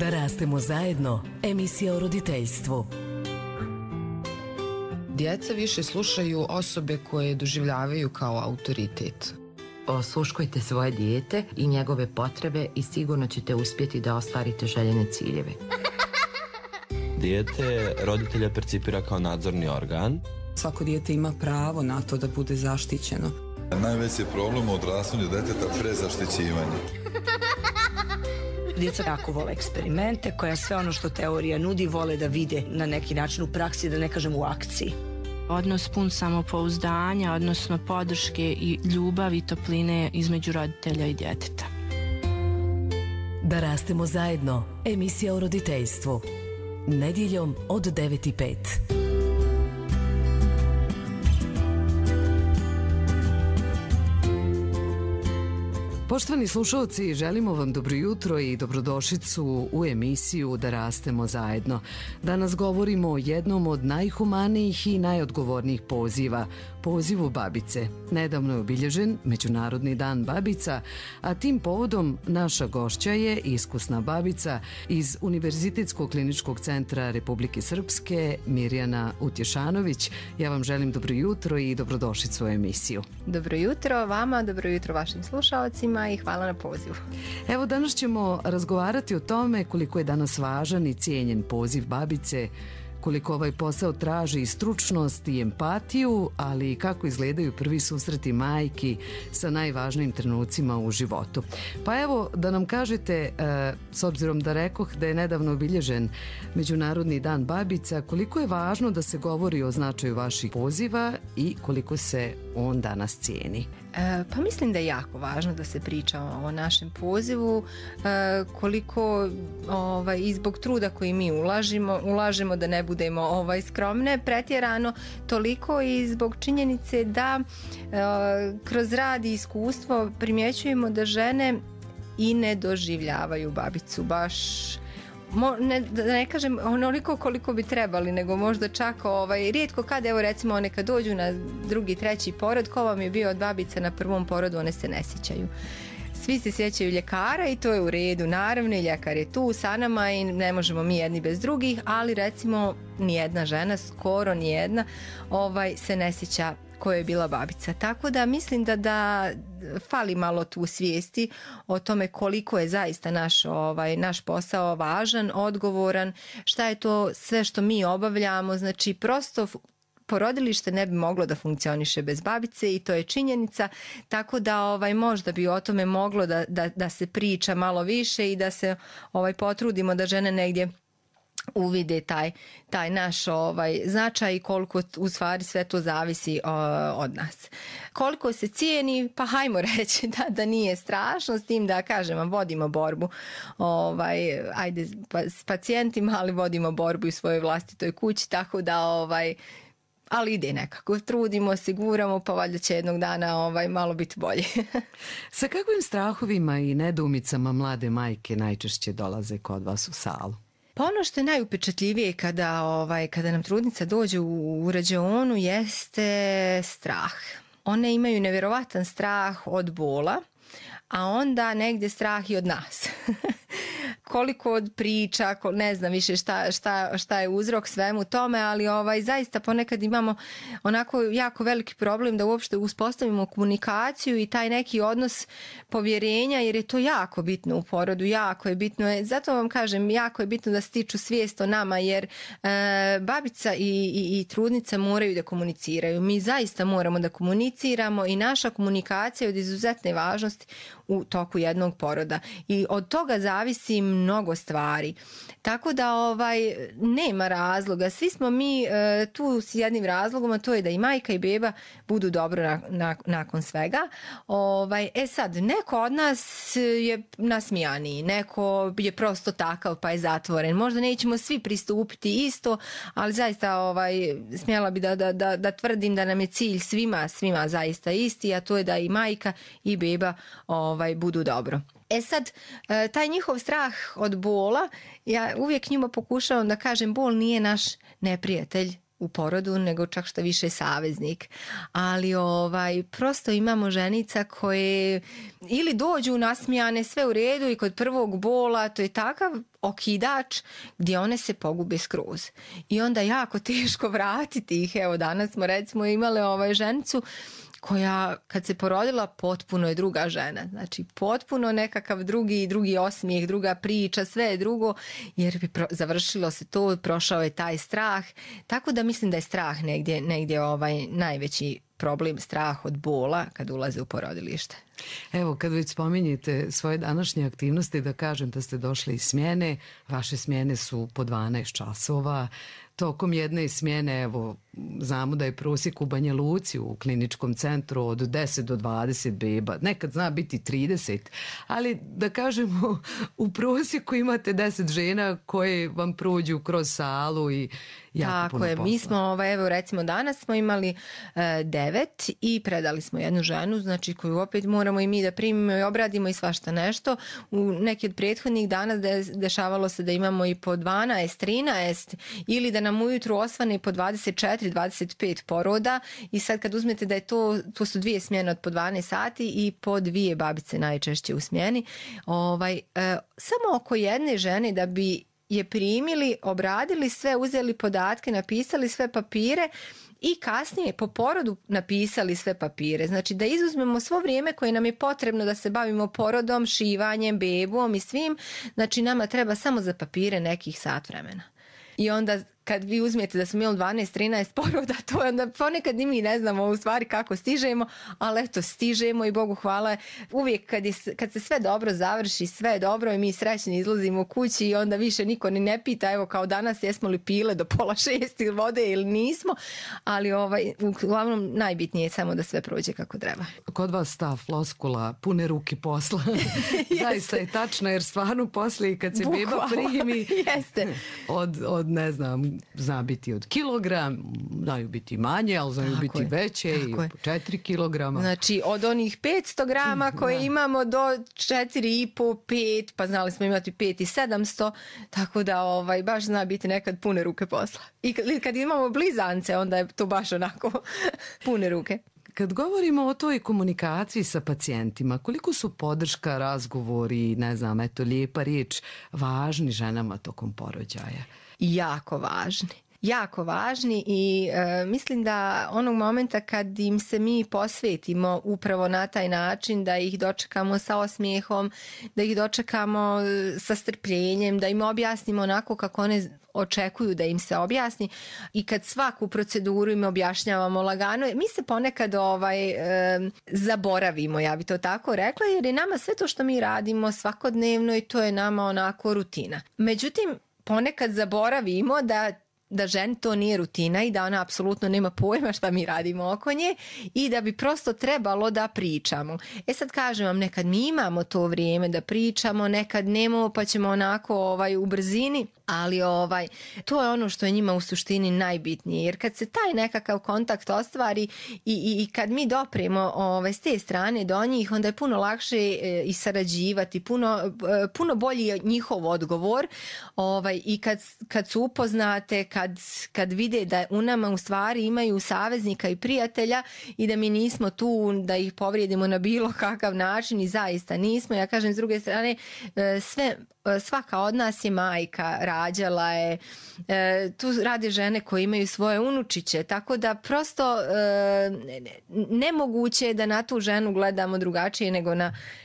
Da rastemo zajedno, emisija o roditeljstvu. Djeca više slušaju osobe koje doživljavaju kao autoritet. Osluškujte svoje dijete i njegove potrebe i sigurno ćete uspjeti da ostvarite željene ciljeve. Dijete roditelja percipira kao nadzorni organ. Svako dijete ima pravo na to da bude zaštićeno. Najveći problem u odrastanju djeteta prezaštićivanje. Djeca jako vole eksperimente, koja sve ono što teorija nudi vole da vide na neki način u praksi, da ne kažem u akciji. Odnos pun samopouzdanja, odnosno podrške i ljubavi i topline između roditelja i djeteta. Da rastemo zajedno, emisija o roditeljstvu. Nedjeljom od 9:05. Poštovani slušalci, želimo vam dobro jutro i dobrodošlicu u emisiju Da rastemo zajedno. Danas govorimo o jednom od najhumanijih i najodgovornijih poziva, pozivu babice. Nedavno je obilježen Međunarodni dan babica, a tim povodom naša gošća je iskusna babica iz Univerzitetskog kliničkog centra Republike Srpske, Mirjana Utješanović. Ja vam želim dobro jutro i dobrodošlicu u emisiju. Dobro jutro vama, dobro jutro vašim slušalcima i hvala na pozivu. Evo, danas ćemo razgovarati o tome koliko je danas važan i cijenjen poziv babice, koliko ovaj posao traži i stručnost i empatiju, ali i kako izgledaju prvi susreti majki sa najvažnijim trenucima u životu. Pa evo, da nam kažete, s obzirom da rekoh da je nedavno obilježen Međunarodni dan babica, koliko je važno da se govori o značaju vaših poziva i koliko se on danas cijeni? Pa mislim da je jako važno da se priča o našem pozivu, koliko i zbog truda koji mi ulažemo da ne budemo skromne pretjerano, toliko i zbog činjenice da kroz rad i iskustvo primjećujemo da žene i ne doživljavaju babicu baš, da ne kažem onoliko koliko bi trebali, nego možda čak rijetko kad, evo recimo one kad dođu na drugi, treći porod, ko vam je bio od babica na prvom porodu, one se ne sjećaju. Svi se sjećaju ljekara i to je u redu, naravno i ljekar je tu sa nama i ne možemo mi jedni bez drugih, ali recimo nijedna žena, skoro nijedna, se ne sjeća koja je bila babica. Tako da mislim da fali malo tu svijesti o tome koliko je zaista naš posao važan, odgovoran, šta je to sve što mi obavljamo, znači prosto porodilište ne bi moglo da funkcioniše bez babice i to je činjenica, tako da možda bi o tome moglo da se priča malo više i da se potrudimo da žene negdje uvide taj naš značaj i koliko u stvari sve to zavisi od nas. Koliko se cijeni, pa hajmo reći da nije strašno, s tim da kažem vam vodimo borbu ajde s pacijentima, ali vodimo borbu u svojoj vlastitoj kući, tako da ali ide nekako, trudimo, siguramo, pa valjda će jednog dana malo biti bolje. Sa kakvim strahovima i nedoumicama mlade majke najčešće dolaze kod vas u salu? Pa ono što je najupečatljivije kada nam trudnica dođe u rađaonu jeste strah. One imaju nevjerovatan strah od bola, a onda negdje strah i od nas. Koliko od priča, ne znam više šta je uzrok svemu tome, ali zaista ponekad imamo onako jako veliki problem da uopšte uspostavimo komunikaciju i taj neki odnos povjerenja, jer je to jako bitno u porodu, jako je bitno. Zato vam kažem, jako je bitno da stiču svijest o nama, jer babica i trudnica moraju da komuniciraju. Mi zaista moramo da komuniciramo i naša komunikacija je od izuzetne važnosti u toku jednog poroda i od toga zavisi mnogo stvari. Tako da nema razloga. Svi smo mi tu s jednim razlogom, a to je da i majka i beba budu dobro nakon svega. Sad, neko od nas je nasmijaniji, neko je prosto takav pa je zatvoren. Možda nećemo svi pristupiti isto, ali zaista smjela bi da tvrdim da nam je cilj svima zaista isti, a to je da i majka i beba budu dobro. Sad, taj njihov strah od bola, ja uvijek njima pokušavam da kažem, bol nije naš neprijatelj, u porodu, nego čak što više saveznik. Ali prosto imamo ženica koje ili dođu nasmijane, sve u redu i kod prvog bola, to je takav okidač gdje one se pogube skroz. I onda jako teško vratiti ih. Evo, danas smo recimo imale ženicu koja kad se porodila potpuno je druga žena. Znači potpuno nekakav drugi osmijeh, druga priča, sve je drugo, jer bi završilo se to, prošao je taj strah. Tako da mislim da je strah negdje najveći problem, strah od bola kad ulaze u porodilište. Evo, kad već spominjete svoje današnje aktivnosti, da kažem da ste došli iz smjene, vaše smjene su po 12 časova. Tokom jedne smjene, evo, znamo da je prosjek u Banja Luci u kliničkom centru od 10 do 20 beba. Nekad zna biti 30, ali da kažemo u prosjeku imate 10 žena koje vam prođu kroz salu i jako puno posla. Mi smo, evo recimo danas smo imali 9 i predali smo jednu ženu, znači koju opet moramo i mi da primimo i obradimo i svašta nešto. U neki od prethodnih dana dešavalo se da imamo i po 12, 13 ili da nam ujutru osvane po 24, 25 poroda i sad kad uzmete da je to su 2 smjene od po 12 sati i po 2 babice najčešće u smjeni. Samo oko jedne žene da bi je primili, obradili sve, uzeli podatke, napisali sve papire i kasnije po porodu napisali sve papire. Znači da izuzmemo svo vrijeme koje nam je potrebno da se bavimo porodom, šivanjem, bebom i svim. Znači nama treba samo za papire nekih sat vremena. I onda kad vi uzmete da smo imali 12-13 poroda, to je onda ponekad i mi ne znamo u stvari kako stižemo, ali eto stižemo i Bogu hvala. Uvijek kad se sve dobro završi, sve je dobro i mi srećni izlazimo u kući i onda više niko ni ne pita, evo kao danas jesmo li pile do 5:30 vode ili nismo, ali uglavnom najbitnije je samo da sve prođe kako treba. Kod vas ta floskula pune ruke posla zaista je tačno, jer stvarno poslije kad se beba primi od ne znam, zna biti od kilogram, znaju biti manje, ali znaju biti veće i po 4 kilograma. Znači od onih 500 grama koje imamo do 4,5, 5, pa znali smo imati 5 i 700, tako da baš zna biti nekad pune ruke posla. I kad imamo blizance, onda je to baš onako pune ruke. Kad govorimo o toj komunikaciji sa pacijentima, koliko su podrška, razgovori, ne znam, lijepa riječ važni ženama tokom porođaja? Jako važni i mislim da onog momenta kad im se mi posvetimo upravo na taj način, da ih dočekamo sa osmijehom, da ih dočekamo sa strpljenjem, da im objasnimo onako kako one očekuju da im se objasni i kad svaku proceduru im objašnjavamo lagano, mi se ponekad zaboravimo, ja bi to tako rekla, jer je nama sve to što mi radimo svakodnevno i to je nama onako rutina. Međutim, ponekad zaboravimo da ženi to nije rutina i da ona apsolutno nema pojma šta mi radimo oko nje i da bi prosto trebalo da pričamo. Sad kažem vam, nekad mi imamo to vrijeme da pričamo, nekad nemamo pa ćemo onako u brzini, ali to je ono što je njima u suštini najbitnije, jer kad se taj nekakav kontakt ostvari i kad mi dopremo s te strane do njih, onda je puno lakše i sarađivati, puno bolji je njihov odgovor i kad su upoznate, kad vide da u nama u stvari imaju saveznika i prijatelja i da mi nismo tu da ih povrijedimo na bilo kakav način i zaista nismo. Ja kažem s druge strane, svaka od nas je majka, rađala je, tu rade žene koje imaju svoje unučiće, tako da prosto nemoguće je da na tu ženu gledamo drugačije nego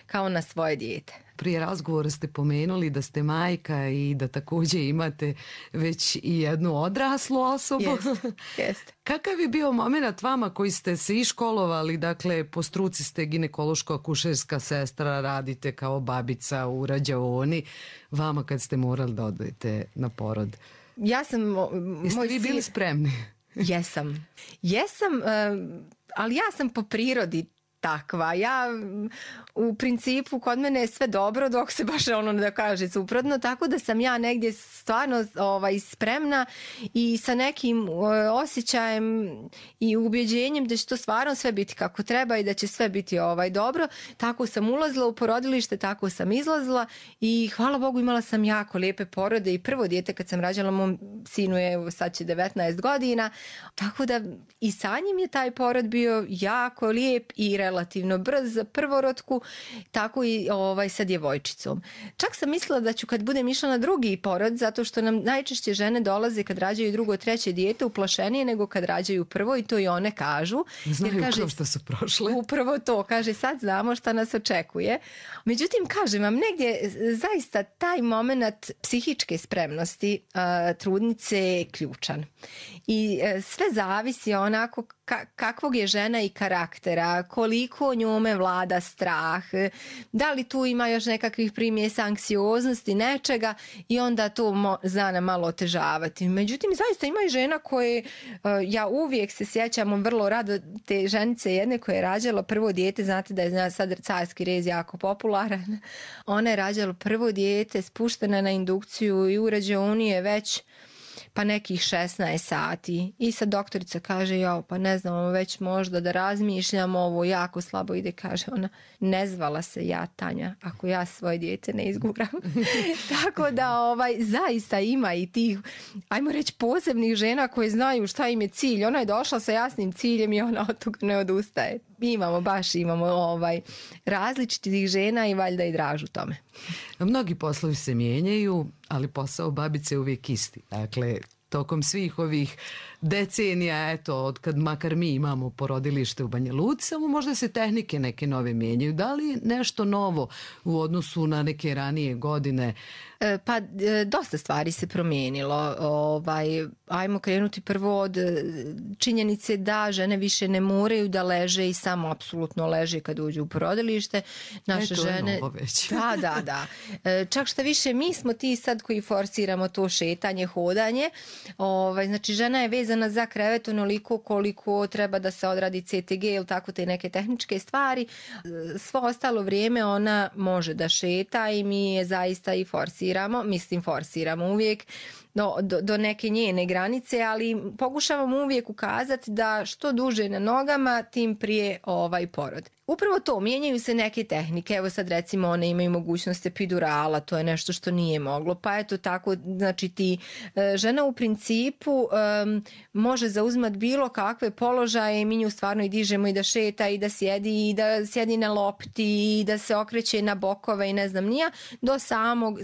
kao na svoje dijete. Prije razgovora ste pomenuli da ste majka i da također imate već i jednu odraslu osobu. Jeste. Kakav je bio moment vama koji ste se iškolovali, dakle po struci ste ginekološko-akušerska sestra, radite kao babica u rađaoni, vama kad ste morali da odete na porod? Jeste vi bili spremni? Jesam, ali ja sam po prirodi takva. Ja u principu kod mene je sve dobro dok se baš ono da kaže suprotno, tako da sam ja negdje stvarno spremna i sa nekim osjećajem i ubjeđenjem da će to stvarno sve biti kako treba i da će sve biti dobro. Tako sam ulazila u porodilište, tako sam izlazila i hvala Bogu imala sam jako lijepe porode i prvo dijete kad sam rađala, mom sinu je sad će 19 godina, tako da i sa njim je taj porod bio jako lijep i relativno brz za prvorotku, tako i sa djevojčicom. Čak sam mislila da ću kad budem išla na drugi porod, zato što nam najčešće žene dolaze kad rađaju drugo, treće dijete uplašenije nego kad rađaju prvo i to i one kažu. Znaju kao što su prošle. Upravo to, kaže sad znamo šta nas očekuje. Međutim, kažem vam, negdje zaista taj moment psihičke spremnosti trudnice je ključan. I sve zavisi onako kakvog je žena i karaktera, koliko njome vlada strah, da li tu ima još nekakvih primjesa anksioznosti, nečega i onda to zna nam malo otežavati. Međutim, zaista ima i žena koje, ja uvijek se sjećam vrlo rado te ženice jedne koje je rađala prvo dijete, znate da je sad carski rez jako popularan, ona je rađala prvo dijete, spuštena na indukciju i u rađaoni je već pa nekih 16 sati i sad doktorica kaže pa ne znam, već možda da razmišljam, ovo jako slabo ide, kaže ona, ne zvala se ja Tanja ako ja svoje dijete ne izguram. Tako da zaista ima i tih, ajmo reći, posebnih žena koje znaju šta im je cilj, ona je došla sa jasnim ciljem i ona od toga ne odustaje. Imamo različitih žena i valjda i dražu tome. Mnogi poslovi se mijenjaju, ali posao babice je uvijek isti. Dakle, tokom svih ovih decenija, od kad makar mi imamo porodilište u Banja Luci, samo možda se tehnike neke nove mijenjaju. Da li nešto novo u odnosu na neke ranije godine? Pa dosta stvari se promijenilo. Ajmo krenuti prvo od činjenice da žene više ne moraju da leže i samo apsolutno leže kad uđu u porodilište. Naše žene... je novo već. Da. Čak šta više, mi smo ti sad koji forsiramo to šetanje, hodanje. Znači, žena je vezana za krevet onoliko koliko treba da se odradi CTG ili tako te neke tehničke stvari. Svo ostalo vrijeme ona može da šeta i mi je zaista i forsiramo uvijek do neke njene granice, ali pokušavamo uvijek ukazati da što duže na nogama, tim prije porod. Upravo to, mijenjaju se neke tehnike, evo sad recimo one imaju mogućnost epidurala, to je nešto što nije moglo, pa eto tako, znači žena u principu može zauzimati bilo kakve položaje i mi nju stvarno i dižemo i da šeta i da sjedi na lopti i da se okreće na bokove i ne znam nija, do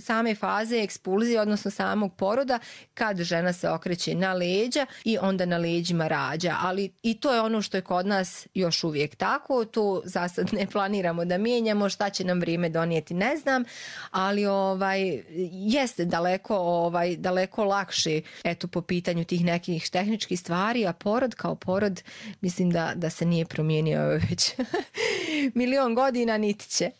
same faze ekspulzije, odnosno samog poroda, kad žena se okreće na leđa i onda na leđima rađa, ali i to je ono što je kod nas još uvijek tako, to za sad ne planiramo da mijenjamo, šta će nam vrijeme donijeti ne znam, ali jeste daleko lakše po pitanju tih nekih tehničkih stvari, a porod kao porod mislim da se nije promijenio već milion godina, niti će.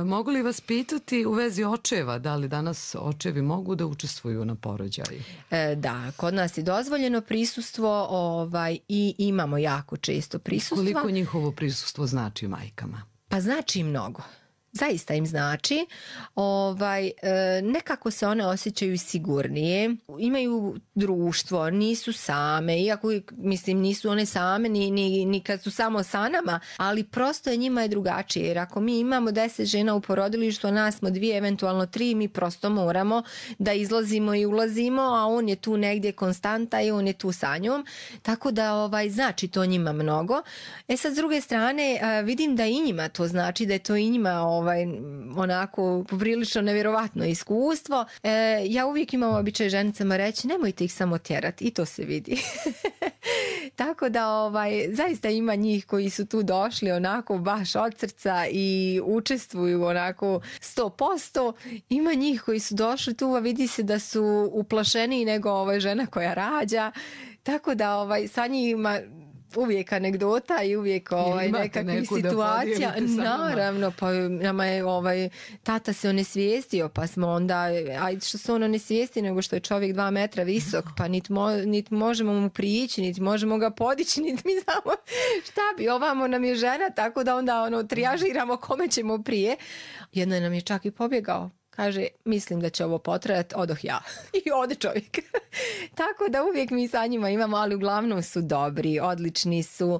Mogu li vas pitati u vezi očeva, da li danas očevi mogu da učestvuju na porođaju? Da, kod nas je dozvoljeno prisustvo i imamo jako često prisustva. Koliko njihovo prisustvo znači majkama? Pa znači mnogo. Zaista im znači. Nekako se one osjećaju sigurnije, imaju društvo, nisu same, iako nisu one same ni kad su samo sa nama, ali prosto njima je drugačije, jer ako mi imamo 10 žena u porodilištu, a nas smo 2, eventualno 3, mi prosto moramo da izlazimo i ulazimo, a on je tu negdje konstanta i on je tu sa njom, tako da znači to njima mnogo. Sad s druge strane vidim da i njima to znači, da je to i njima onako poprilično nevjerovatno iskustvo. Ja uvijek imam običaj ženicama reći, nemojte ih samo tjerati, i to se vidi. Tako da zaista ima njih koji su tu došli onako baš od srca i učestvuju onako 100%. Ima njih koji su došli tu, a vidi se da su uplašeniji nego žena koja rađa. Tako da sa njima uvijek anegdota i uvijek nekakvih situacija. Naravno, pa nama je tata se onesvijestio, pa smo onda, ajde što se on onesvijesti, nego što je čovjek 2 metra visok, pa niti možemo mu prići, niti možemo ga podići, niti mi znamo šta bi, ovamo nam je žena, tako da onda trijažiramo kome ćemo prije. Jedno nam je čak i pobjegao. Kaže, mislim da će ovo potrajati, odoh ja. I ode čovjek. Tako da uvijek mi sa njima imamo, ali uglavnom su dobri, odlični su.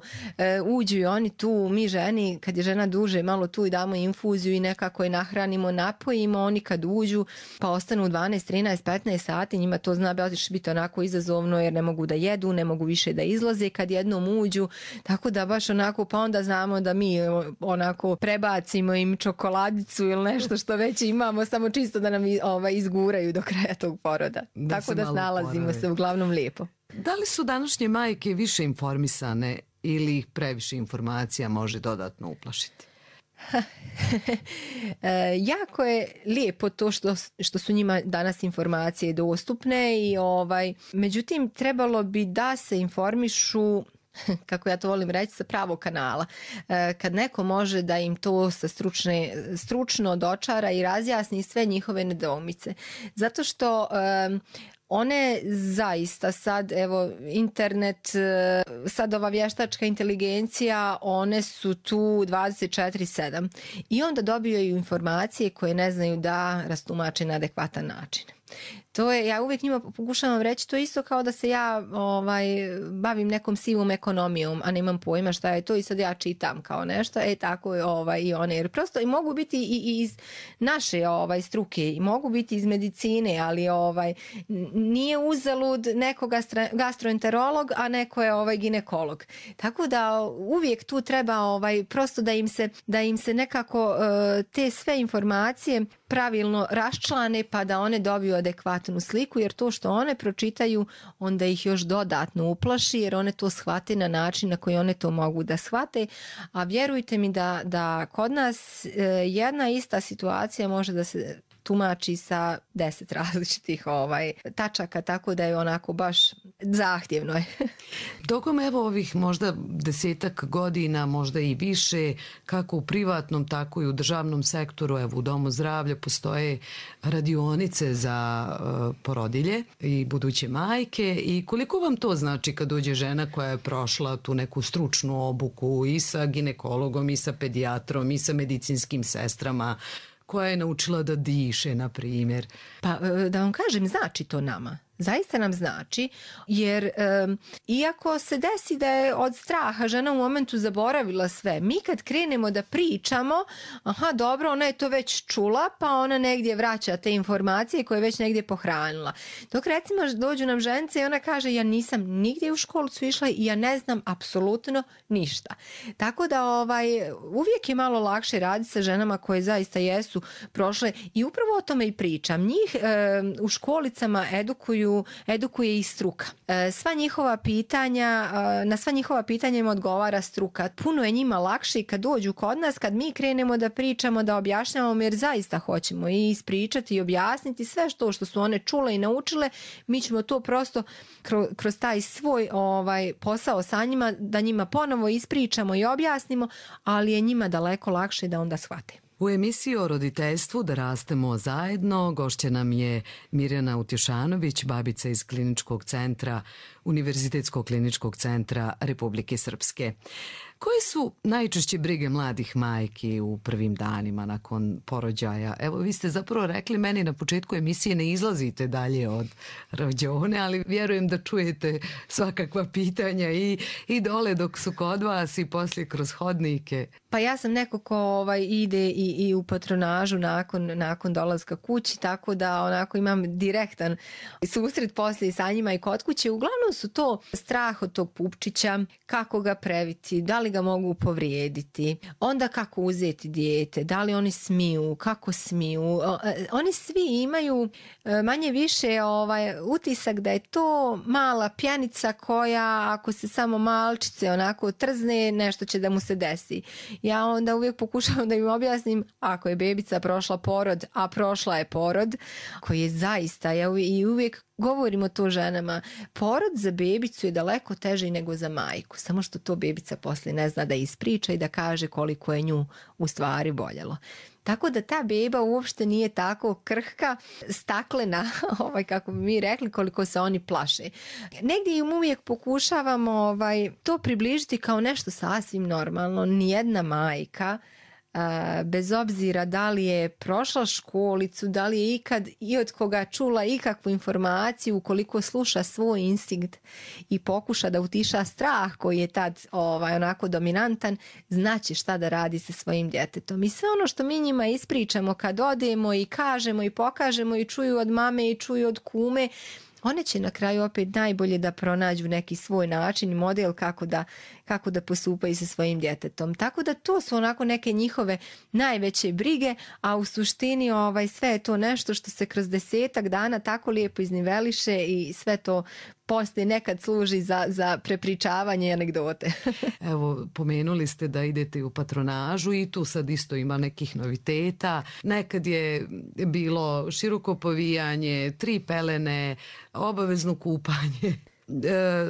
Uđu i oni tu, mi ženi, kad je žena duže, malo tu i damo infuziju i nekako je nahranimo, napojimo. Oni kad uđu, pa ostanu 12, 13, 15 sati, njima to zna biti onako izazovno jer ne mogu da jedu, ne mogu više da izlaze kad jednom uđu. Tako da baš onako, pa onda znamo da mi onako prebacimo im čokoladicu ili nešto što već imamo, samo čisto da nam izguraju do kraja tog poroda. Tako da snalazimo se uglavnom lijepo. Da li su današnje majke više informisane ili ih previše informacija može dodatno uplašiti? Jako je lijepo to što su njima danas informacije dostupne i međutim trebalo bi da se informišu, kako ja to volim reći, sa pravog kanala. Kad neko može da im to sa stručno dočara i razjasni sve njihove nedoumice. Zato što one zaista sad, evo, internet, sad ova vještačka inteligencija, one su tu 24/7 i onda dobijaju informacije koje ne znaju da rastumače na adekvatan način. To je, ja uvijek njima pokušavam reći, to je isto kao da se ja bavim nekom sivom ekonomijom, a nemam pojma šta je to i sad ja čitam kao nešto, tako je i one, jer prosto i mogu biti i iz naše struke, i mogu biti iz medicine, ali nije uzalud neko gastroenterolog, a neko je ginekolog. Tako da uvijek tu treba prosto da im se nekako te sve informacije pravilno raščlane pa da one dobiju adekvatnu sliku, jer to što one pročitaju onda ih još dodatno uplaši, jer one to shvate na način na koji one to mogu da shvate, a vjerujte mi da kod nas jedna ista situacija može da se tumači sa 10 različitih tačaka, tako da je onako baš zahtjevno je. Tokom ovih možda 10-ak godina, možda i više, kako u privatnom, tako i u državnom sektoru, u Domu zdravlja postoje radionice za porodilje i buduće majke, i koliko vam to znači kad dođe žena koja je prošla tu neku stručnu obuku i sa ginekologom i sa pedijatrom i sa medicinskim sestrama, koja je naučila da diše, na primjer? Pa da vam kažem, znači to nama. Zaista nam znači, jer iako se desi da je od straha žena u momentu zaboravila sve, mi kad krenemo da pričamo, aha, dobro, ona je to već čula, pa ona negdje vraća te informacije koje je već negdje pohranila. Dok recimo dođu nam ženice i ona kaže, ja nisam nigdje u školicu išla i ja ne znam apsolutno ništa. Tako da uvijek je malo lakše raditi sa ženama koje zaista prošle, i upravo o tome i pričam. Njih u školicama edukuje i struka. Sva njihova pitanja, na sva njihova pitanja im odgovara struka. Puno je njima lakše kad dođu kod nas, kad mi krenemo da pričamo, da objašnjavamo, jer zaista hoćemo i ispričati i objasniti sve što su one čule i naučile. Mi ćemo to prosto kroz taj svoj posao sa njima, da njima ponovo ispričamo i objasnimo, ali je njima daleko lakše da onda shvate. U emisiji o roditeljstvu Da rastemo zajedno gošća nam je Mirjana Utješanović, babica iz kliničkog centra, Univerzitetskog kliničkog centra Republike Srpske. Koje su najčešće brige mladih majki u prvim danima nakon porođaja? Evo, vi ste zapravo rekli meni na početku emisije, ne izlazite dalje od rođone, ali vjerujem da čujete svakakva pitanja i dole dok su kod vas i poslije kroz hodnike. Pa ja sam neko ko ide i u patronažu nakon dolaska kući, tako da onako imam direktan susret poslije sa njima i kod kuće. Uglavnom su to strah od tog pupčića, kako ga previti, da li ga mogu povrijediti, onda kako uzeti dijete, da li oni smiju, kako smiju. Oni svi imaju manje više utisak da je to mala pjanica koja ako se samo malčice onako trzne, nešto će da mu se desi. Ja onda uvijek pokušavam da im objasnim, ako je bebica prošla porod, a prošla je porod, koji je zaista, i uvijek govorimo to ženama, porod za bebicu je daleko teži nego za majku, samo što to bebica poslije ne zna da ispriča i da kaže koliko je nju u stvari boljelo. Tako da ta beba uopšte nije tako krhka, staklena, kako bi mi rekli, koliko se oni plaše. Negdje im uvijek pokušavamo to približiti kao nešto sasvim normalno. Nijedna majka, bez obzira da li je prošla školicu, da li je ikad i od koga čula ikakvu informaciju, ukoliko sluša svoj instinkt i pokuša da utiša strah koji je tad onako dominantan, znaće šta da radi sa svojim djetetom. I sve ono što mi njima ispričamo kad odemo i kažemo i pokažemo i čuju od mame i čuju od kume, one će na kraju opet najbolje da pronađu neki svoj način i model kako da postupaju sa svojim djetetom. Tako da to su onako neke njihove najveće brige, a u suštini sve je to nešto što se kroz 10 dana tako lijepo izniveliše i sve to poslije nekad služi za prepričavanje anegdote. Evo, pomenuli ste da idete u patronažu i tu sad isto ima nekih noviteta. Nekad je bilo široko povijanje, 3 pelene, obavezno kupanje.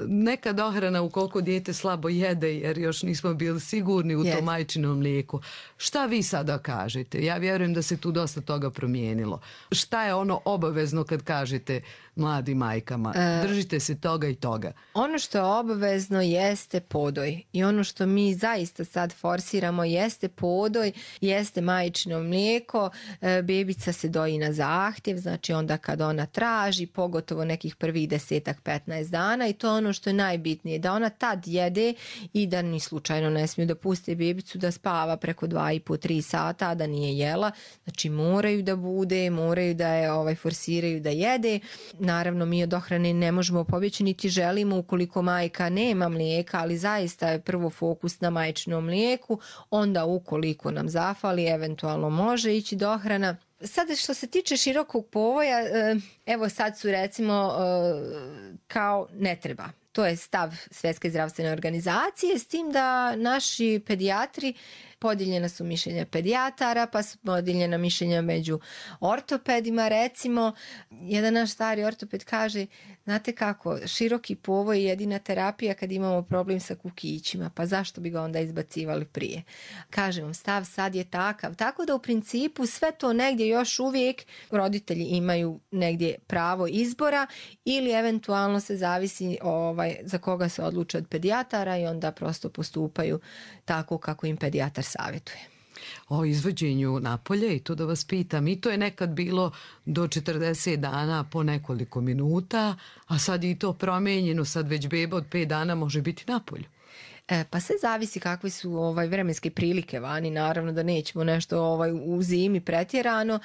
Neka dohrana ukoliko dijete slabo jede jer još nismo bili sigurni u tom majčinom mlijeku. Šta vi sada kažete? Ja vjerujem da se tu dosta toga promijenilo. Šta je ono obavezno kad kažete mladim majkama? Držite se toga i toga. Ono što je obavezno jeste podoj i ono što mi zaista sad forsiramo jeste podoj, jeste majčino mlijeko. Bebica se doji na zahtjev, znači onda kad ona traži, pogotovo nekih prvih 10-15 dana, i to je ono što je najbitnije, da ona tad jede i da ni slučajno ne smiju da puste bebicu da spava preko 2,5-3 sata, a da nije jela. Znači moraju da bude, moraju da je forsiraju da jede. Naravno, mi od dohrane ne možemo pobjeći niti želimo ukoliko majka nema mlijeka, ali zaista je prvo fokus na majčinom mlijeku, onda ukoliko nam zafali, eventualno može ići dohrana. Sada što se tiče širokog povoja, evo sad su recimo kao ne treba. To je stav Svjetske zdravstvene organizacije, s tim da naši pedijatri, podijeljena su mišljenja pedijatara, pa su podijeljena mišljenja među ortopedima. Recimo, jedan naš stari ortoped kaže, znate kako, široki povoj je jedina terapija kad imamo problem sa kukićima, pa zašto bi ga onda izbacivali prije? Kažem vam, stav sad je takav. Tako da u principu sve to negdje još uvijek roditelji imaju negdje pravo izbora ili eventualno se zavisi za koga se odluče od pedijatara i onda prosto postupaju tako kako im pedijatar savjetuje. O izvođenju napolje, i to da vas pitam, i to je nekad bilo do 40 dana po nekoliko minuta, a sad je i to promijenjeno, sad već beba od 5 dana može biti napolju. Pa sve zavisi kakve su vremenske prilike vani, naravno da nećemo nešto u zimi pretjerano.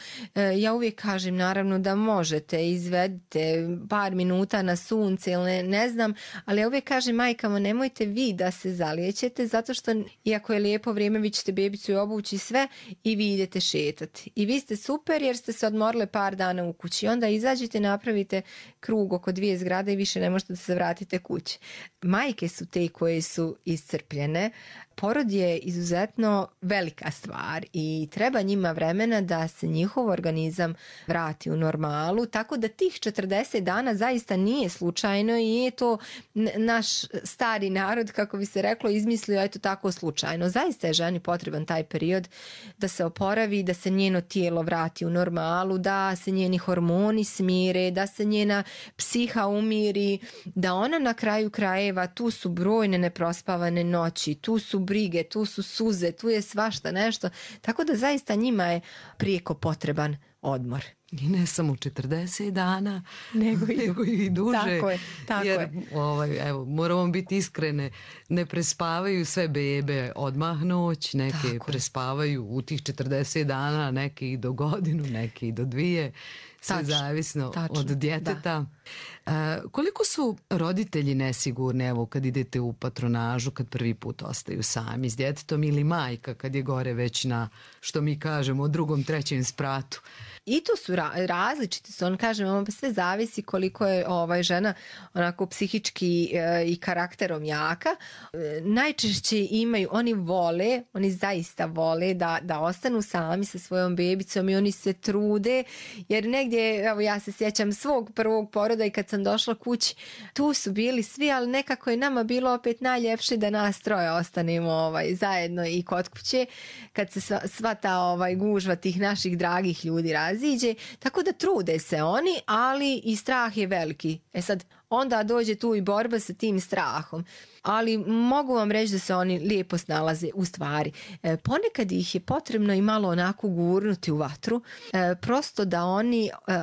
Ja uvijek kažem naravno da možete, izvedite par minuta na sunce ili ne znam, ali ja uvijek kažem majkama, nemojte vi da se zalijećete, zato što iako je lijepo vrijeme, vi ćete bebicu i obući sve i vi idete šetati. I vi ste super jer ste se odmorile par dana u kući. Onda izađite, napravite krug oko 2 zgrade i više ne možete da se vratite kući. Majke su te koje su iscrpljene. Porod je izuzetno velika stvar i treba njima vremena da se njihov organizam vrati u normalu, tako da tih 40 dana zaista nije slučajno i je to naš stari narod, kako bi se reklo, izmislio eto tako slučajno. Zaista je ženi potreban taj period da se oporavi, da se njeno tijelo vrati u normalu, da se njeni hormoni smire, da se njena psiha umiri, da ona na kraju krajeva, tu su brojne neprospavane noći, tu su brige, tu su suze, tu je svašta nešto, tako da zaista njima je prijeko potreban odmor. I ne samo 40 dana, nego i duže. Tako je. Evo, moramo biti iskrene, ne prespavaju sve bebe odmah noć, neke prespavaju u tih 40 dana, neke i do godinu, neke i do 2. Sve zavisno od djeteta. Koliko su roditelji nesigurni, evo, kad idete u patronažu, kad prvi put ostaju sami s djetetom, ili majka kad je gore već na, što mi kažemo, 2., 3. spratu? I tu su različiti su, on kaže, sve zavisi koliko je žena onako psihički i karakterom jaka. Najčešće imaju, oni zaista vole da ostanu sami sa svojom bebicom i oni se trude, jer negdje, evo ja se sjećam svog prvog poroda i kad sam došla kući, tu su bili svi, ali nekako je nama bilo opet najljepše da nas troje ostanemo zajedno i kod kuće, kad se sva ta gužva tih naših dragih ljudi raziđe, tako da trude se oni, ali i strah je veliki. Sad, onda dođe tu i borba sa tim strahom. Ali mogu vam reći da se oni lijepo snalaze u stvari. Ponekad ih je potrebno i malo onako gurnuti u vatru, prosto da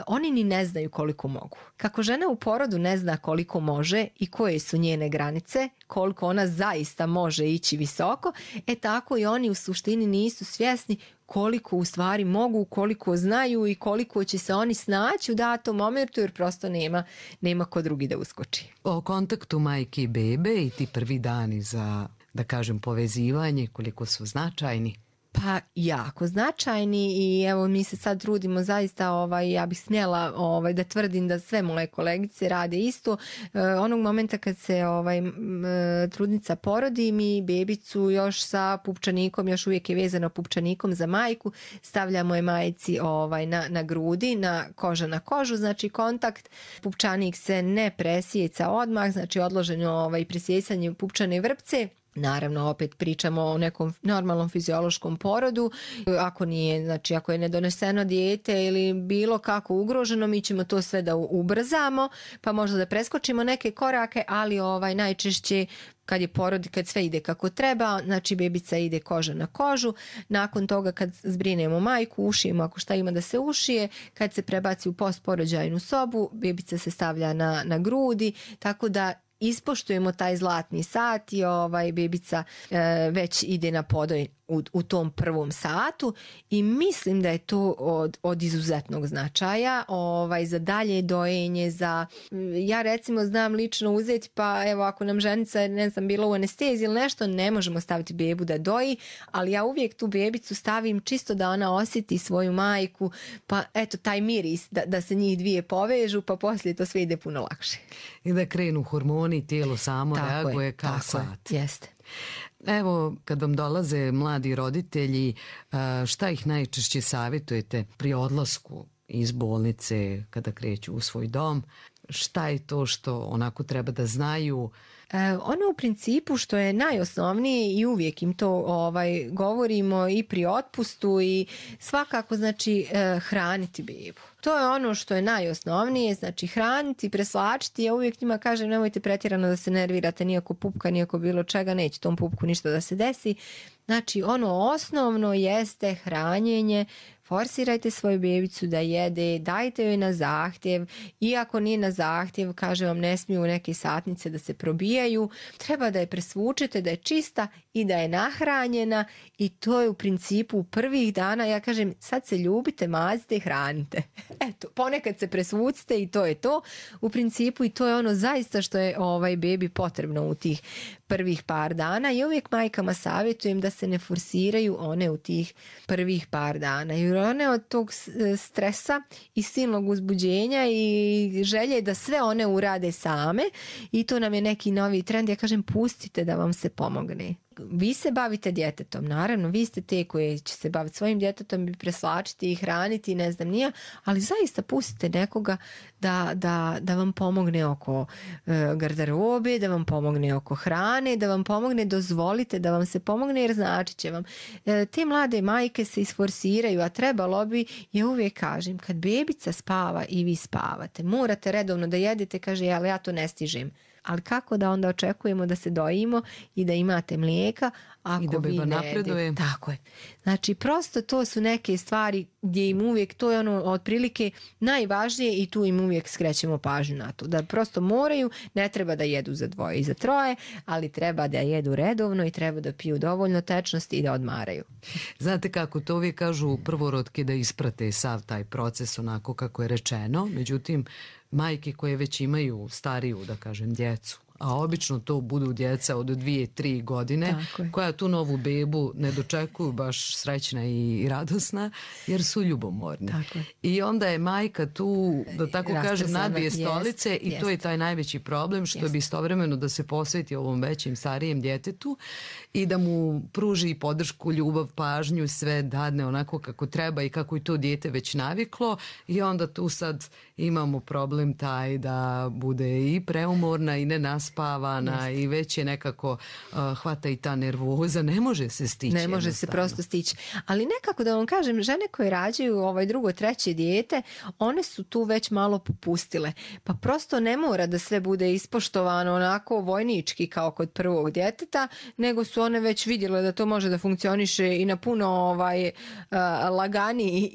oni ni ne znaju koliko mogu. Kako žena u porodu ne zna koliko može i koje su njene granice, koliko ona zaista može ići visoko, tako i oni u suštini nisu svjesni koliko u stvari mogu, koliko znaju i koliko će se oni snaći u datom momentu, jer prosto nema ko drugi da uskoči. O kontaktu majke i bebe i ti prvi dani za, da kažem, povezivanje, koliko su značajni? Pa jako značajni i evo mi se sad trudimo zaista, ja bih smjela da tvrdim da sve moje kolegice rade isto. Onog momenta kad se trudnica porodi, mi bebicu još sa pupčanikom, još uvijek je vezano pupčanikom za majku, stavljamo je majci na grudi, na koža na kožu, znači kontakt. Pupčanik se ne presjeca odmah, znači odloženo presjecanje pupčane vrpce. Naravno, opet pričamo o nekom normalnom fiziološkom porodu. Ako je nedoneseno dijete ili bilo kako ugroženo, mi ćemo to sve da ubrzamo, pa možda da preskočimo neke korake, ali najčešće kad je porod, kad sve ide kako treba, znači bebica ide koža na kožu. Nakon toga kad zbrinemo majku, ušijemo ako šta ima da se ušije, kad se prebaci u postporođajnu sobu, bebica se stavlja na grudi, tako da ispoštujemo taj zlatni sat i bebica već ide na podoj u tom prvom satu i mislim da je to od izuzetnog značaja za dalje dojenje, ja recimo znam lično uzeti, pa evo ako nam ženica ne znam bila u anesteziji ili nešto, ne možemo staviti bebu da doji, ali ja uvijek tu bebicu stavim čisto da ona osjeti svoju majku, pa eto taj miris da se njih dvije povežu, pa poslije to sve ide puno lakše. I da krenu hormoni, tijelo samo reaguje kao sat. Jeste. Evo, kad vam dolaze mladi roditelji, šta ih najčešće savjetujete pri odlasku iz bolnice kada kreću u svoj dom? Šta je to što onako treba da znaju? Ono u principu što je najosnovnije i uvijek im to govorimo i pri otpustu i svakako znači hraniti bebu. To je ono što je najosnovnije, znači hraniti, preslačiti. Ja uvijek njima kažem nemojte pretjerano da se nervirate nijako pupka, nijako bilo čega, neće tom pupku ništa da se desi. Znači ono osnovno jeste hranjenje. Forsirajte svoju bebicu da jede, dajte joj na zahtjev. Iako nije na zahtjev, kaže vam ne smiju neke satnice da se probijaju. Treba da je presvučete, da je čista i da je nahranjena i to je u principu prvih dana. Ja kažem sad se ljubite, mazite i hranite. Eto, ponekad se presvucite i to je to u principu i to je ono zaista što je bebi potrebno u tih prvih par dana i uvijek majkama savjetujem da se ne forsiraju one u tih prvih par dana jer one od tog stresa i silnog uzbuđenja i želje da sve one urade same i to nam je neki novi trend. Ja kažem pustite da vam se pomogne. Vi se bavite djetetom, naravno, vi ste te koje će se baviti svojim djetetom i preslačiti i hraniti, ne znam nija, ali zaista pustite nekoga da vam pomogne oko garderobe, da vam pomogne oko hrane, da vam pomogne, dozvolite da vam se pomogne jer znači će vam. Te mlade majke se isforsiraju, a trebalo bi, ja uvijek kažem, kad bebica spava i vi spavate, morate redovno da jedete, kaže, ali ja to ne stižem. Ali kako da onda očekujemo da se dojimo i da imate mlijeka ako i da beba napreduje. Tako je. Znači prosto to su neke stvari gdje im uvijek, to je ono otprilike najvažnije i tu im uvijek skrećemo pažnju na to. Da prosto moraju, ne treba da jedu za dvoje i za troje, ali treba da jedu redovno i treba da piju dovoljno tečnosti i da odmaraju. Znate kako to uvijek kažu prvorodke da isprate sav taj proces onako kako je rečeno, međutim majke koje već imaju stariju, da kažem, djecu, a obično to budu djeca od 2-3 godine koja tu novu bebu ne dočekuju baš srećna i radosna jer su ljubomorni. I onda je majka tu, da tako kažem, na dvije stolice i to je taj najveći problem, što bi istovremeno da se posveti ovom većim, starijem djetetu i da mu pruži podršku, ljubav, pažnju, sve dadne onako kako treba i kako je to dijete već naviklo i onda tu sad imamo problem taj da bude i preumorna i nenaspavana i već je nekako hvata i ta nervoza, ne može se stići. Ne može se prosto stići. Ali nekako da vam kažem, žene koje rađaju drugo, treće dijete, one su tu već malo popustile. Pa prosto ne mora da sve bude ispoštovano onako vojnički kao kod prvog djeteta, nego su one već vidjele da to može da funkcioniše i na puno laganiji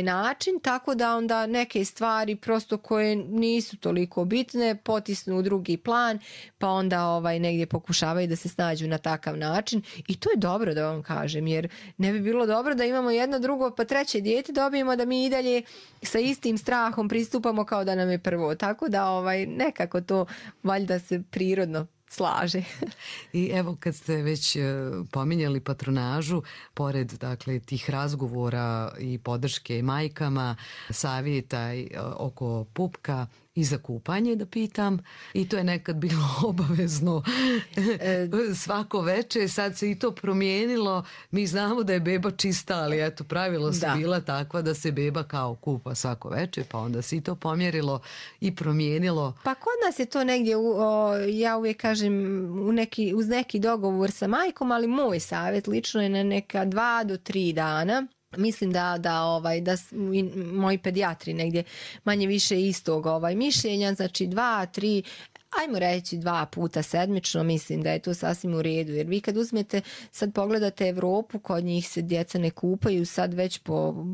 način, tako da onda neke stvari prosto koje nisu toliko bitne potisnu u drugi plan, pa onda negdje pokušavaju da se snađu na takav način i to je dobro da vam kažem, jer ne bi bilo dobro da imamo jedno, drugo pa treće dijete dobijemo da mi i dalje sa istim strahom pristupamo kao da nam je prvo, tako da nekako to valjda se prirodno slaže. I evo kad ste već pominjali patronažu, pored dakle tih razgovora i podrške majkama, savjeta oko pupka i za kupanje da pitam, i to je nekad bilo obavezno svako veče, sad se i to promijenilo, mi znamo da je beba čista, ali eto pravilo su bila takva da se beba kao kupa svako veče, pa onda se i to pomjerilo i promijenilo. Pa kod nas je to negdje, ja uvijek kažem, uz neki dogovor sa majkom, ali moj savjet lično je na neka 2 do 3 dana. Mislim da moji pedijatri negdje manje više istog mišljenja, znači 2, 3, ajmo reći 2 puta sedmično, mislim da je to sasvim u redu, jer vi kad uzmete, sad pogledate Evropu, kod njih se djeca ne kupaju sad već po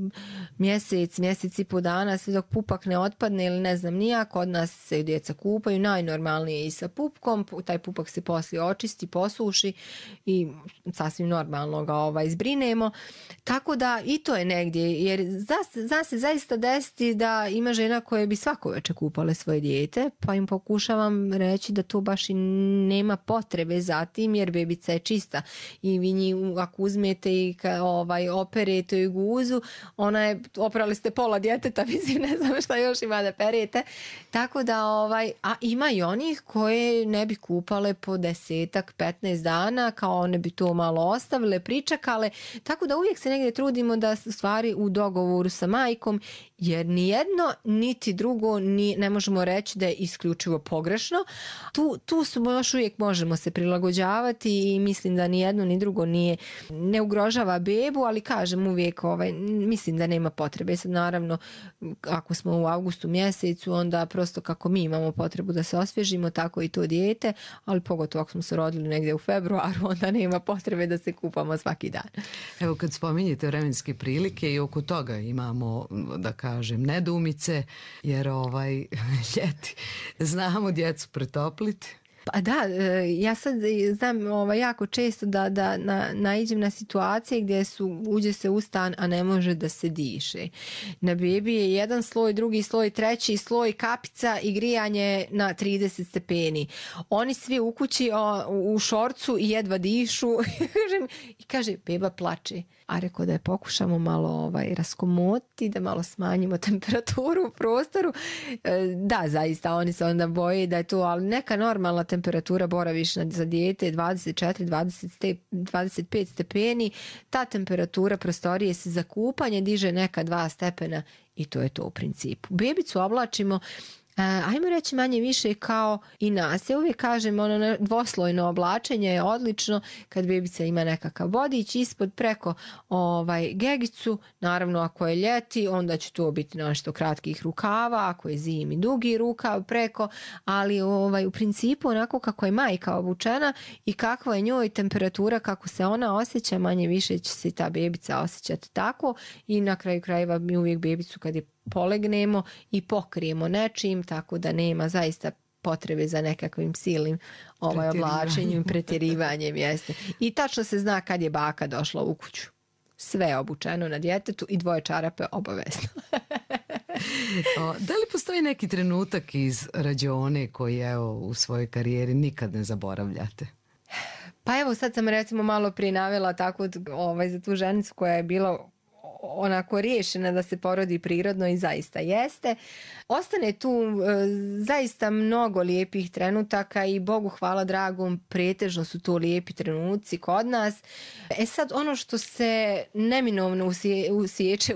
mjesec i po dana, sve dok pupak ne otpadne ili ne znam nija, kod nas se djeca kupaju, najnormalnije i sa pupkom, taj pupak se poslije očisti, posuši i sasvim normalno ga izbrinemo, tako da i to je negdje, jer zna se zaista desiti da ima žena koje bi svako večer kupale svoje dijete, pa im pokušavam reći da to baš i nema potrebe za tim, jer bebica je čista i vi nju ako uzmete i operete i guzu, ona je, oprali ste pola djeteta, mislim ne znam šta još ima da perete, tako da a ima i onih koje ne bi kupale po 10-15 dana, kao one bi to malo ostavile, pričekale, tako da uvijek se negdje trudimo da stvari u dogovoru sa majkom, jer ni jedno niti drugo ne možemo reći da je isključivo pogrešno. Tu smo još uvijek, možemo se prilagođavati i mislim da ni jedno ni drugo ne ugrožava bebu, ali kažem uvijek mislim da nema potrebe. Sad naravno ako smo u avgustu mjesecu, onda prosto kako mi imamo potrebu da se osvježimo, tako i to dijete, ali pogotovo ako smo se rodili negdje u februaru, onda nema potrebe da se kupamo svaki dan. Evo kad spominjete vremenske prilike i oko toga imamo, da kažem, nedoumice, jer ljeti znamo djecu pretopliti. Pa da, ja sad znam jako često da naiđem na situacije gdje uđe se u stan, a ne može da se diše. Na bebi je jedan sloj, drugi sloj, treći sloj, kapica i grijanje na 30 stepeni. Oni svi u kući u šorcu i jedva dišu i kaže, beba plače. A rekao da je pokušamo malo raskomotiti, da malo smanjimo temperaturu u prostoru. Da, zaista, oni se onda boje da je to, ali neka normalna temperatura boravišna za dijete 24-25 stepeni. Ta temperatura prostorije se za kupanje diže neka 2 stepena i to je to u principu. Bebicu oblačimo, ajmo reći manje više kao i nas. Ja uvijek kažem, dvoslojno oblačenje je odlično kad bebica ima nekakav vodič ispod preko gegicu. Naravno ako je ljeti, onda će to biti nešto kratkih rukava, ako je zimi dugi rukav preko, ali u principu onako kako je majka obučena i kakva je njoj temperatura, kako se ona osjeća, manje više će se ta bebica osjećati tako i na kraju krajeva mi uvijek bebicu kad je polegnemo i pokrijemo nečim, tako da nema zaista potrebe za nekakvim silnim oblačenjem, pretjerivanjem jeste. I tačno se zna kad je baka došla u kuću. Sve je obučeno na djetetu i 2 čarape obavezno. Da li postoji neki trenutak iz rađone koji u svojoj karijeri nikad ne zaboravljate? Pa evo sad sam recimo malo prije navela tako za tu ženicu koja je bila onako riješena da se porodi prirodno i zaista jeste. Ostane tu zaista mnogo lijepih trenutaka i Bogu hvala dragom, pretežno su to lijepi trenuci kod nas. Sad ono što se neminovno usjeće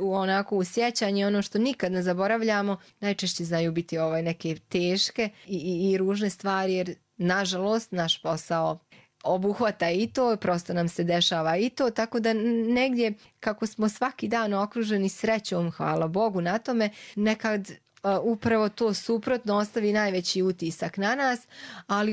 u sjećanje, ono što nikad ne zaboravljamo, najčešće znaju biti neke teške i ružne stvari, jer nažalost naš posao obuhvata i to, prosto nam se dešava i to, tako da negdje kako smo svaki dan okruženi srećom, hvala Bogu na tome, nekad upravo to suprotno ostavi najveći utisak na nas, ali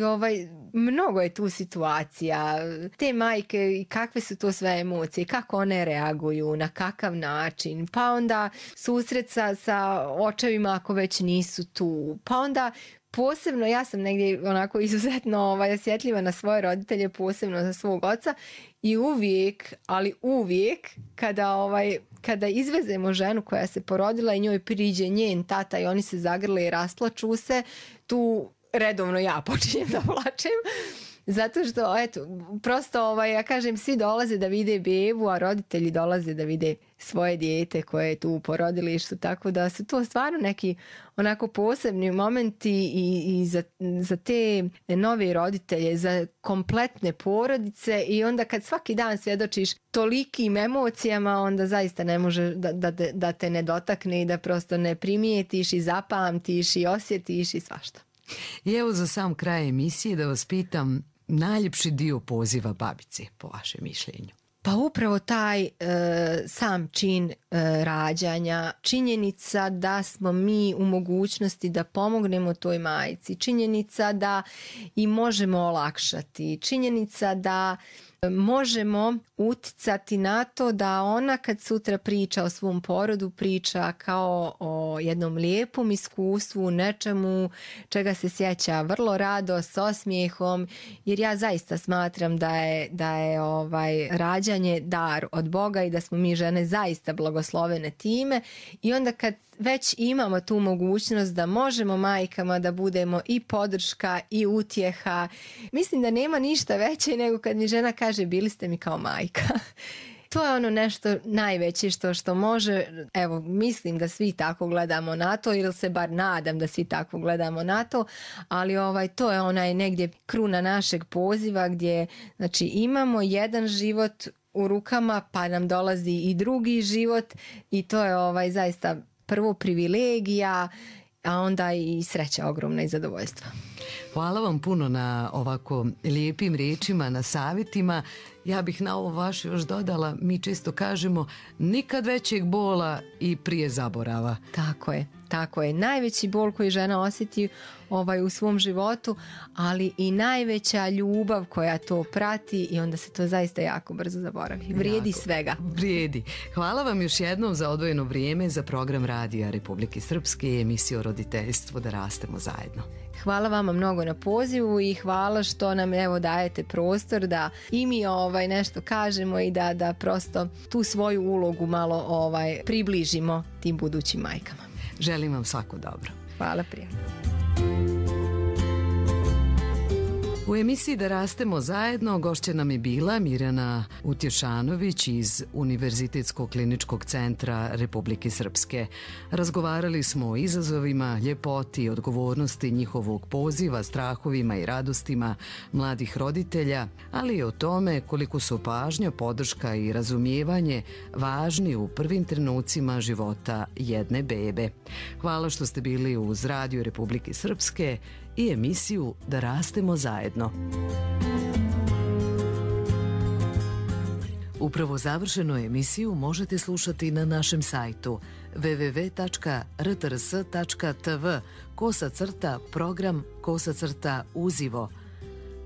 mnogo je tu situacija, te majke, kakve su to sve emocije, kako one reaguju, na kakav način, pa onda susret sa očevima ako već nisu tu, pa onda posebno, ja sam negdje onako izuzetno osjetljiva na svoje roditelje, posebno za svog oca i uvijek kada izvezemo ženu koja se porodila i njoj priđe njen tata i oni se zagrle i rasplaču se, tu redovno ja počinjem da plačem. Zato što, prosto, ja kažem, svi dolaze da vide bebu, a roditelji dolaze da vide svoje dijete koje je tu u porodilištu, tako da su to stvarno neki onako posebni momenti i za te nove roditelje, za kompletne porodice i onda kad svaki dan svjedočiš tolikim emocijama, onda zaista ne može da te ne dotakne i da prosto ne primijetiš i zapamtiš i osjetiš i svašta. I evo za sam kraj emisije da vas pitam, najljepši dio poziva babice, po vašem mišljenju? Pa upravo taj sam čin rađanja, činjenica da smo mi u mogućnosti da pomognemo toj majci, činjenica da i možemo olakšati, činjenica da možemo uticati na to da ona kad sutra priča o svom porodu priča kao o jednom lijepom iskustvu, nečemu čega se sjeća vrlo rado, s osmijehom, jer ja zaista smatram da je rađanje dar od Boga i da smo mi žene zaista blagoslovene time i onda kad već imamo tu mogućnost da možemo majkama da budemo i podrška i utjeha. Mislim da nema ništa veće nego kad mi žena kaže bili ste mi kao majka. To je ono nešto najveće što može, evo mislim da svi tako gledamo na to ili se bar nadam da svi tako gledamo na to, ali to je onaj negdje kruna našeg poziva gdje znači imamo jedan život u rukama pa nam dolazi i drugi život i to je zaista prvo privilegija, a onda i sreća ogromna i zadovoljstva. Hvala vam puno na ovako lijepim riječima, na savjetima. Ja bih na ovo vaše još dodala, mi često kažemo nikad većeg bola i prije zaborava. Tako je. Najveći bol koji žena osjeti u svom životu, ali i najveća ljubav koja to prati i onda se to zaista jako brzo zaboravi. Vrijedi svega. Vrijedi. Hvala vam još jednom za odvojeno vrijeme za program Radija Republike Srpske i emisiju o roditeljstvu Da rastemo zajedno. Hvala vama mnogo na pozivu i hvala što nam dajete prostor da i mi nešto kažemo i da prosto tu svoju ulogu malo približimo tim budućim majkama. Želim vam svako dobro. Hvala prijatno. U emisiji Da rastemo zajedno gošća nam je bila Mirjana Utješanović iz Univerzitetskog kliničkog centra Republike Srpske. Razgovarali smo o izazovima, ljepoti i odgovornosti njihovog poziva, strahovima i radostima mladih roditelja, ali i o tome koliko su pažnja, podrška i razumijevanje važni u prvim trenucima života jedne bebe. Hvala što ste bili uz Radio Republike Srpske i emisiju Da rastemo zajedno. Upravo završenu emisiju možete slušati na našem sajtu www.rtrs.tv/program/uzivo.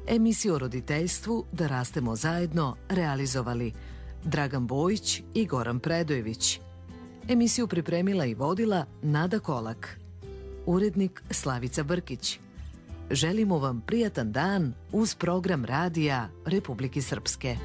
Emisiju o roditeljstvu Da rastemo zajedno realizovali Dragan Bojić i Goran Predojević. Emisiju pripremila i vodila Nada Kolak. Urednik Slavica Brkić. Želimo vam prijatan dan uz program Radija Republike Srpske.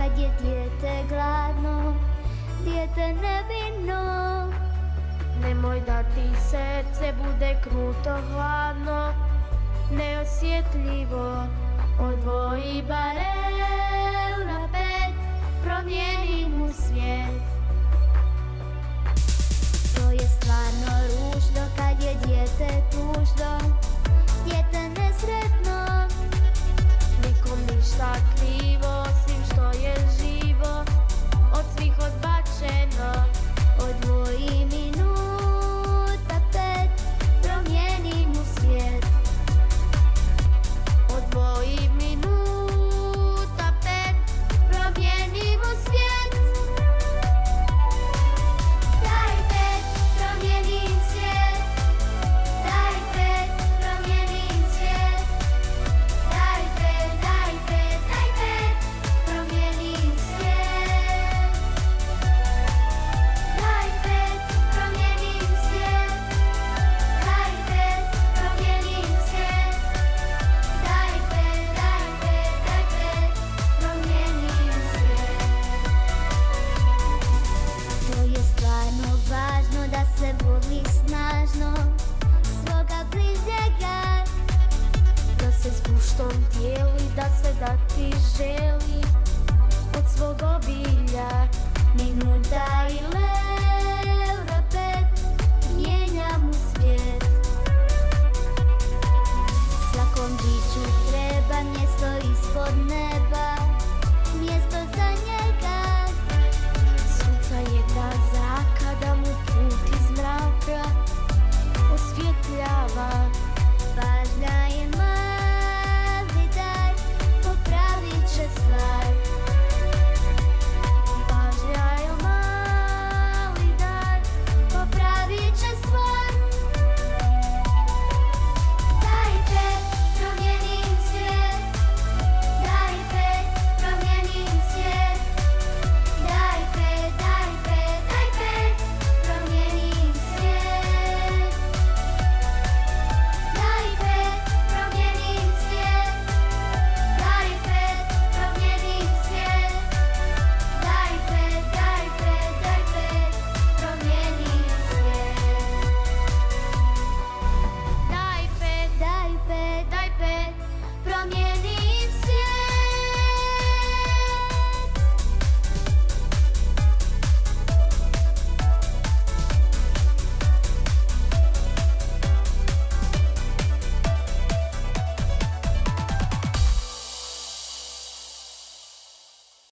kad je dijete gladno, dijete nevino. Nemoj da ti srce bude kruto, hladno, neosjetljivo, odvoji barem